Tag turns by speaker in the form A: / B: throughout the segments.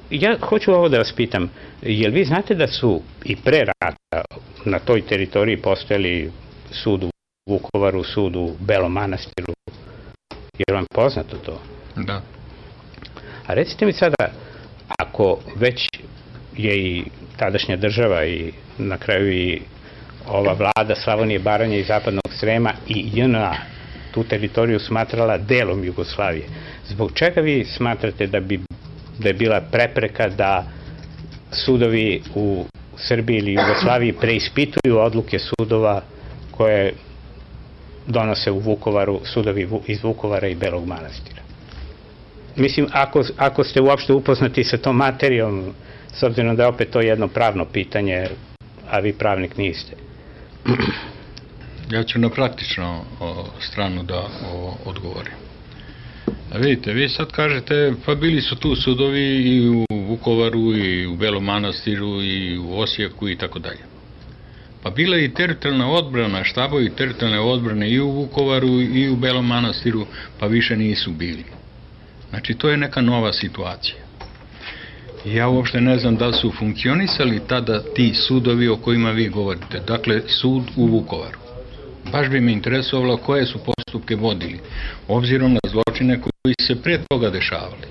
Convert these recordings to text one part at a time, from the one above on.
A: Ja hoću ovo da vas pitam, jel vi znate da su i pre rata na toj teritoriji postojali sud u Vukovaru, sud u Belom Manastiru? Je vam poznato to?
B: Da.
A: A recite mi sada, ako već je i tadašnja država i na kraju i ova vlada Slavonije, Baranje i Zapadnog Srema i JNA tu teritoriju smatrala delom Jugoslavije, zbog čega vi smatrate da je bila prepreka da sudovi u Srbiji ili Jugoslaviji preispituju odluke sudova koje donose u Vukovaru, sudovi iz Vukovara i Belog Manastira? Mislim, ako ste uopšte upoznati sa tom materijom, s obzirom da je opet to jedno pravno pitanje, a vi pravnik niste.
B: Ja ću na praktičnu stranu da odgovorim. A vidite, vi sad kažete, pa bili su tu sudovi i u Vukovaru, i u Belom Manastiru, i u Osijeku, i tako dalje. Pa bila je i teritorijalna odbrana, štabovi teritorijalne odbrane i u Vukovaru, i u Belom Manastiru, pa više nisu bili. Znači, to je neka nova situacija. Ja uopšte ne znam da su funkcionisali tada ti sudovi o kojima vi govorite. Dakle, sud u Vukovaru. Baš bi me interesovalo koje su postupke vodili, obzirom na zločine koji se pre toga dešavali.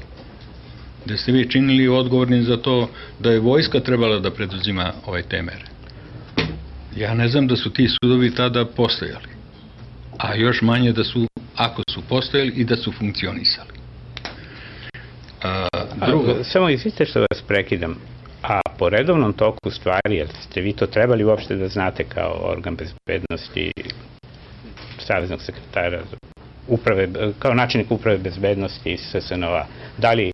B: Da ste vi činili odgovorni za to da je vojska trebala da preduzima te mere. Ja ne znam da su ti sudovi tada postojali, a još manje da su, ako su postojali, i da su funkcionisali.
A: Samo izvite što vas prekidam, a po redovnom toku stvari, jer ste vi to trebali uopšte da znate kao organ bezbednosti, saveznog sekretara uprave, kao načelnik uprave bezbednosti iz SSNO-a, da li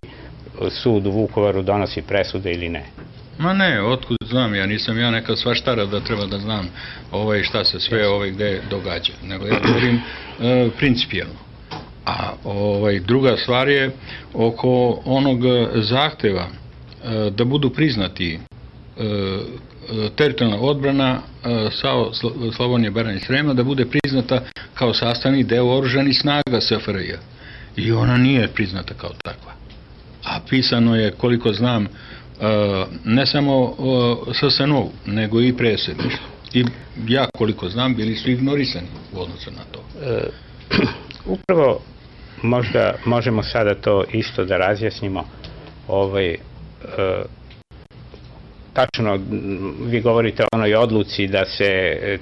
A: sud u Vukovaru donosi presude ili ne?
B: Ma ne, otkud znam, ja nisam neka svaštara da treba da znam šta se sve gde događa, nego ja govorim principijelno. A druga stvar je oko onog zahteva da budu priznati teritorijalna odbrana Slavonije, Baranje i Srema, da bude priznata kao sastavni deo oružanih snaga SFRJ. I ona nije priznata kao takva. A pisano je, koliko znam, ne samo SSNO, nego i predsjedništvo. I ja, koliko znam, bili su ignorisani u odnosu na to.
A: Upravo možda možemo sada to isto da razjasnimo. Tačno, vi govorite o onoj odluci da se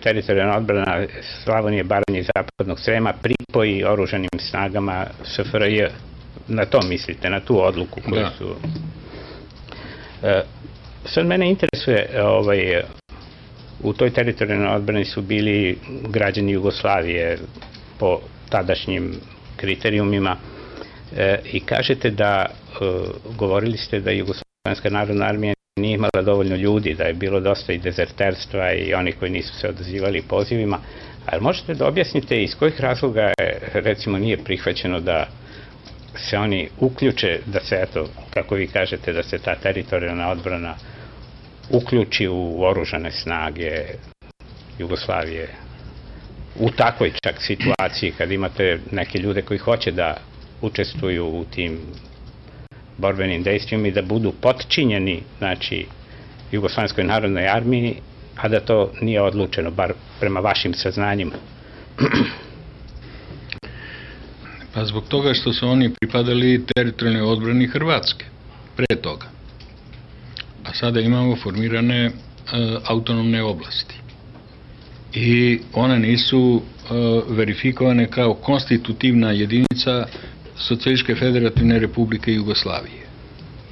A: teritorijalna odbrana Slavonije, Baranje i Zapadnog Srema pripoji oružanim snagama SFRJ. Na to mislite, na tu odluku koju su... Sad mene interesuje, u toj teritorijalnoj odbrani su bili građani Jugoslavije po tadašnjim kriterijumima i kažete da, govorili ste da Jugoslovenska narodna armija nije imala dovoljno ljudi, da je bilo dosta i dezerterstva i oni koji nisu se odazivali pozivima, ali možete da objasnite iz kojih razloga recimo nije prihvaćeno da se oni uključe, da se, eto, kako vi kažete, da se ta teritorijalna odbrana uključi u oružane snage Jugoslavije u takvoj čak situaciji kad imate neke ljude koji hoće da učestvuju u tim borbenim dejstvima i da budu potčinjeni, znači, Jugoslovenskoj narodnoj armiji, a da to nije odlučeno, bar prema vašim saznanjima.
B: Pa zbog toga što su oni pripadali teritorijalnoj odbrani Hrvatske, pre toga. A sada imamo formirane autonomne oblasti. I one nisu verifikovane kao konstitutivna jedinica Socijalističke federativne republike Jugoslavije.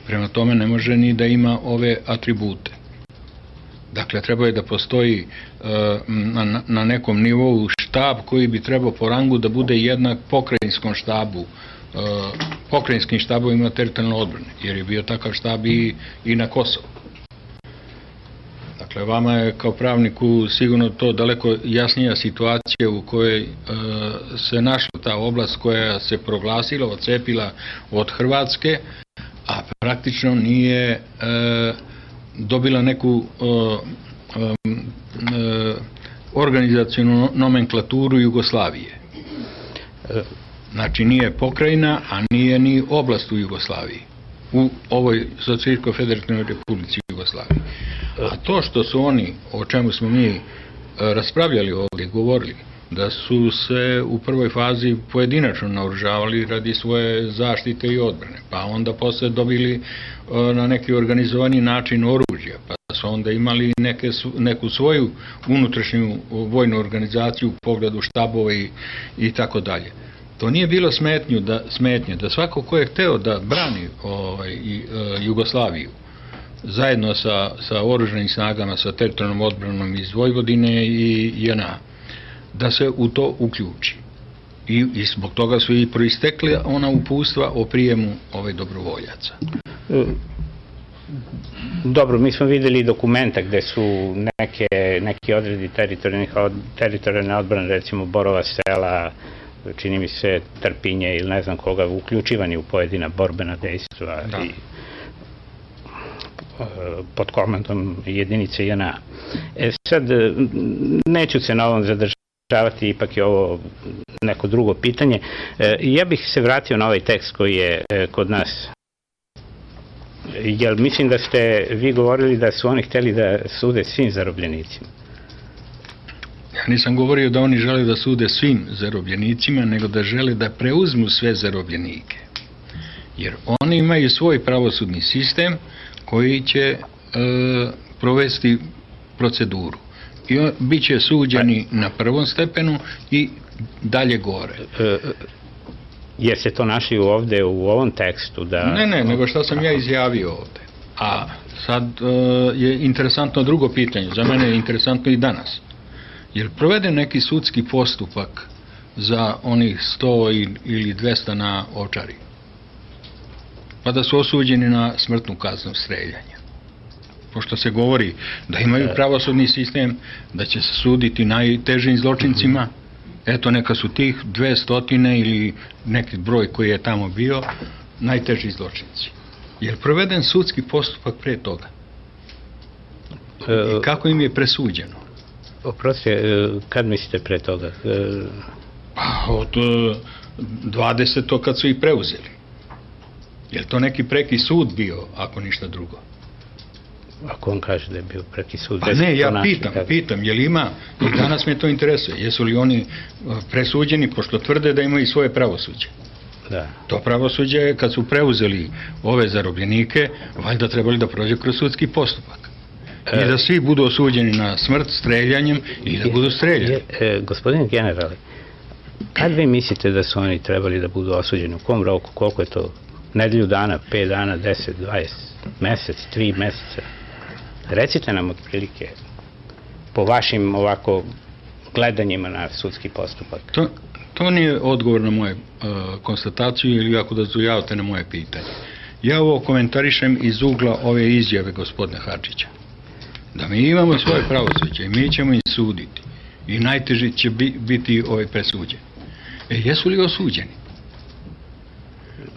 B: Prema tome ne može ni da ima ove atribute. Dakle, treba je da postoji na nekom nivou štab koji bi trebao po rangu da bude jednak pokrajinskom štabu, pokrajinskim štabovima teritorijalne odbrane, jer je bio takav štab i na Kosovu. Dakle, vama je kao pravniku sigurno to daleko jasnija situacija u kojoj se našla ta oblast koja se proglasila, odcepila od Hrvatske, a praktično nije dobila neku organizacionu nomenklaturu Jugoslavije. Znači nije pokrajina, a nije ni oblast u Jugoslaviji. u ovoj Socijalističkoj federativnoj republici Jugoslaviji. A to što su oni, o čemu smo mi raspravljali ovdje, govorili, da su se u prvoj fazi pojedinačno naoružavali radi svoje zaštite i odbrane, pa onda posle dobili na neki organizovani način oružje, pa su onda imali neku svoju unutrašnju vojnu organizaciju u pogledu štabova i tako dalje. To nije bilo smetnje da svako ko je hteo da brani Jugoslaviju zajedno sa oružanim snagama, sa teritorijalnom odbranom iz Vojvodine i JNA, da se u to uključi. I zbog toga su i proistekli ona uputstva o prijemu dobrovoljaca.
A: Dobro, mi smo videli dokumenta gde su neki odredi teritorijalne odbrane, recimo Borova Sela, čini mi se Trpinje ili ne znam koga, uključivani u pojedina borbena dejstva i pod komandom jedinice JNA. Sad, neću se na ovom zadržavati, ipak je ovo neko drugo pitanje. Ja bih se vratio na ovaj tekst koji je kod nas. Jer mislim da ste vi govorili da su oni hteli da sude svim zarobljenicima.
B: Ja nisam govorio da oni žele da sude svim zarobljenicima, nego da žele da preuzmu sve zarobljenike. Jer oni imaju svoj pravosudni sistem koji će provesti proceduru. I bit će suđeni na prvom stepenu i dalje gore.
A: Jeste to našli ovde u ovom tekstu?
B: Ne, nego što sam ja izjavio ovde. A sad je interesantno drugo pitanje, za mene je interesantno i danas. Jer proveden neki sudski postupak za onih 100 ili 200 na Ovčari, pa da su osuđeni na smrtnu kaznu streljanja. Pošto se govori da imaju pravosudni sistem, da će se suditi najtežim zločincima, eto neka su tih 200 ili neki broj koji je tamo bio najteži zločinci. Je li proveden sudski postupak pre toga? I kako im je presuđeno?
A: Oprostite, kad mislite pre toga?
B: Pa od 20. kad su ih preuzeli. Je li to neki preki sud bio, ako ništa drugo?
A: Ako on kaže da je bio preki sud?
B: Pa ne, ja pitam, je li ima, i danas me to interesuje, jesu li oni presuđeni, pošto tvrde da imaju svoje pravosuđe.
A: Da.
B: To pravosuđe je, kad su preuzeli ove zarobljenike, valjda trebali da prođe kroz sudski postupak. I da svi budu osuđeni na smrt streljanjem i da budu streljani.
A: Gospodine generale, kad vi mislite da su oni trebali da budu osuđeni? U kom roku? Koliko je to? Nedelju dana, 5 dana, 10, 20, mesec, 3 meseca? Recite nam otprilike po vašim ovako gledanjima na sudski postupak.
B: To nije odgovor na moju konstataciju ili ako da zujavate na moje pitanje. Ja ovo komentarišem iz ugla ove izjave gospodina Hadžića. Da mi imamo svoje pravosuđe i mi ćemo im suditi i najteži će biti presuđeni. Jesu li osuđeni?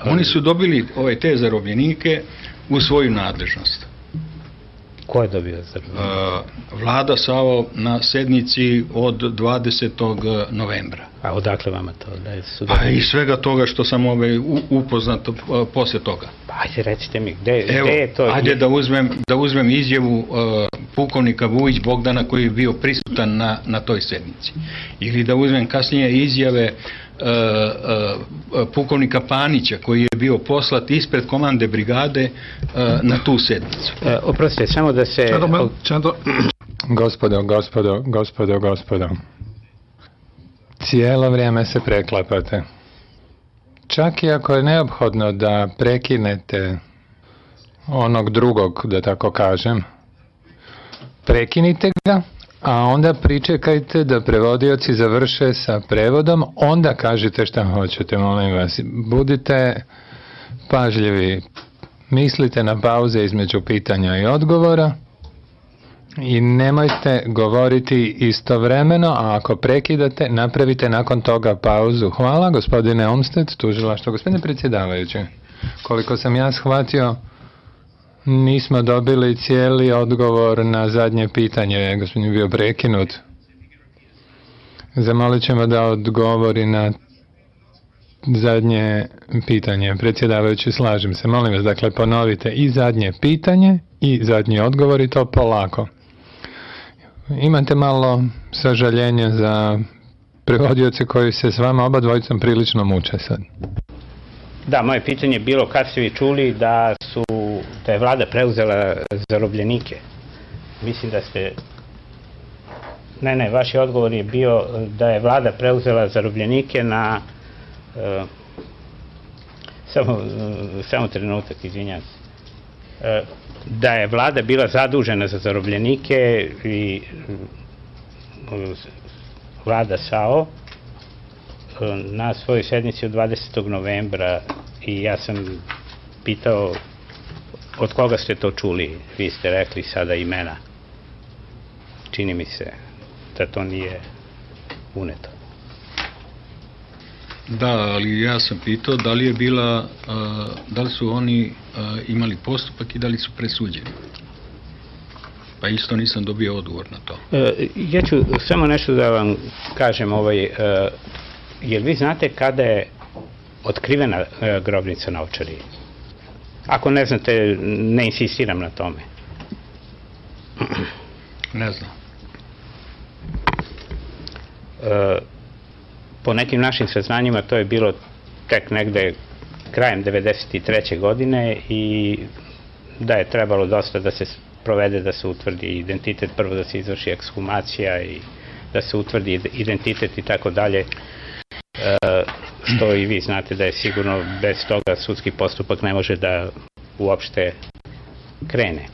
B: Oni su dobili te zarobljenike u svoju nadležnost.
A: Ko je dobio zarobljenike?
B: Vlada SAO na sednici od 20. novembra. A
A: odakle vama to?
B: Pa i svega toga što sam upoznat posle toga.
A: Pa ajde recite mi, gde je to?
B: Ajde da uzmem izjavu pukovnika Vujić Bogdana koji je bio prisutan na toj sednici. Ili da uzmem kasnije izjave pukovnika Panića koji je bio poslat ispred komande brigade na tu sednicu.
A: Oprostite, samo da se...
C: Gospodo. Cijelo vrijeme se preklapate. Čak i ako je neophodno da prekinete onog drugog, da tako kažem, prekinite ga, a onda pričekajte da prevodioci završe sa prevodom, onda kažite šta hoćete, molim vas. Budite pažljivi, mislite na pauze između pitanja i odgovora i nemojte govoriti istovremeno, a ako prekidate, napravite nakon toga pauzu. Hvala, gospodine Olmsted, tužilaštvo. Gospodine predsjedavajući, koliko sam ja shvatio, nismo dobili cijeli odgovor na zadnje pitanje, gospodin je bio prekinut. Zamolit ćemo da odgovori na zadnje pitanje. Predsjedavajući, slažem se. Molim vas, dakle, ponovite i zadnje pitanje i zadnji odgovor i to polako. Imate malo sažaljenja za prevodioce koji se s vama oba dvojicom prilično muče sad.
A: Da, moje pitanje je bilo kad ste vi čuli da je vlada preuzela zarobljenike. Mislim da ste... Ne, vaš odgovor je bio da je vlada preuzela zarobljenike na... Samo trenutak, izvinjam se. Da je vlada bila zadužena za zarobljenike i vlada SAO na svojoj sednici od 20. novembra i ja sam pitao od koga ste to čuli. Vi ste rekli sada imena. Čini mi se da to nije uneto.
B: Da, ali ja sam pitao da li je bila, da li su oni imali postupak i da li su presuđeni. Pa isto nisam dobio odgovor na to.
A: Ja ću samo nešto da vam kažem, jer vi znate kada je otkrivena grobnica na Ovčari? Ako ne znate, ne insistiram na tome.
B: Ne znam.
A: Po nekim našim saznanjima to je bilo tek negde krajem 1993. godine i da je trebalo dosta da se provede, da se utvrdi identitet, prvo da se izvrši ekshumacija i da se utvrdi identitet i tako dalje, što i vi znate da je sigurno bez toga sudski postupak ne može da uopšte krene.